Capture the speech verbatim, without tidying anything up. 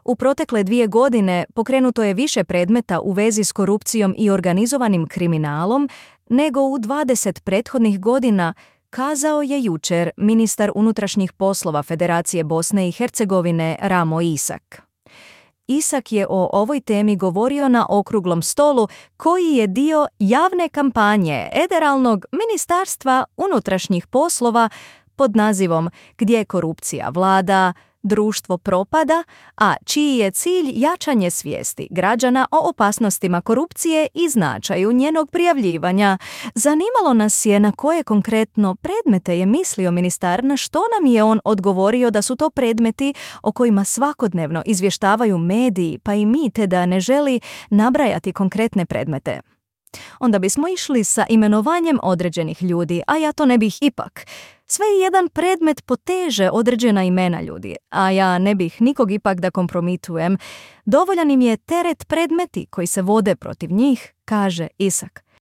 U protekle dvije godine pokrenuto je više predmeta u vezi s korupcijom i organizovanim kriminalom nego u dvadeset prethodnih godina, kazao je jučer ministar unutrašnjih poslova Federacije Bosne i Hercegovine Ramo Isak. Isak je o ovoj temi govorio na okruglom stolu koji je dio javne kampanje Federalnog ministarstva unutrašnjih poslova pod nazivom Gdje korupcija vlada, društvo propada, a čiji je cilj jačanje svijesti građana o opasnostima korupcije i značaju njenog prijavljivanja. Zanimalo nas je na koje konkretno predmete je mislio ministar, na što nam je on odgovorio da su to predmeti o kojima svakodnevno izvještavaju mediji, pa i mi, te da ne želi nabrajati konkretne predmete. Onda bismo išli sa imenovanjem određenih ljudi, a ja to ne bih ipak. Sve jedan predmet poteže određena imena ljudi, a ja ne bih nikog ipak da kompromitujem. Dovoljan im je teret predmeti koji se vode protiv njih, kaže Isak.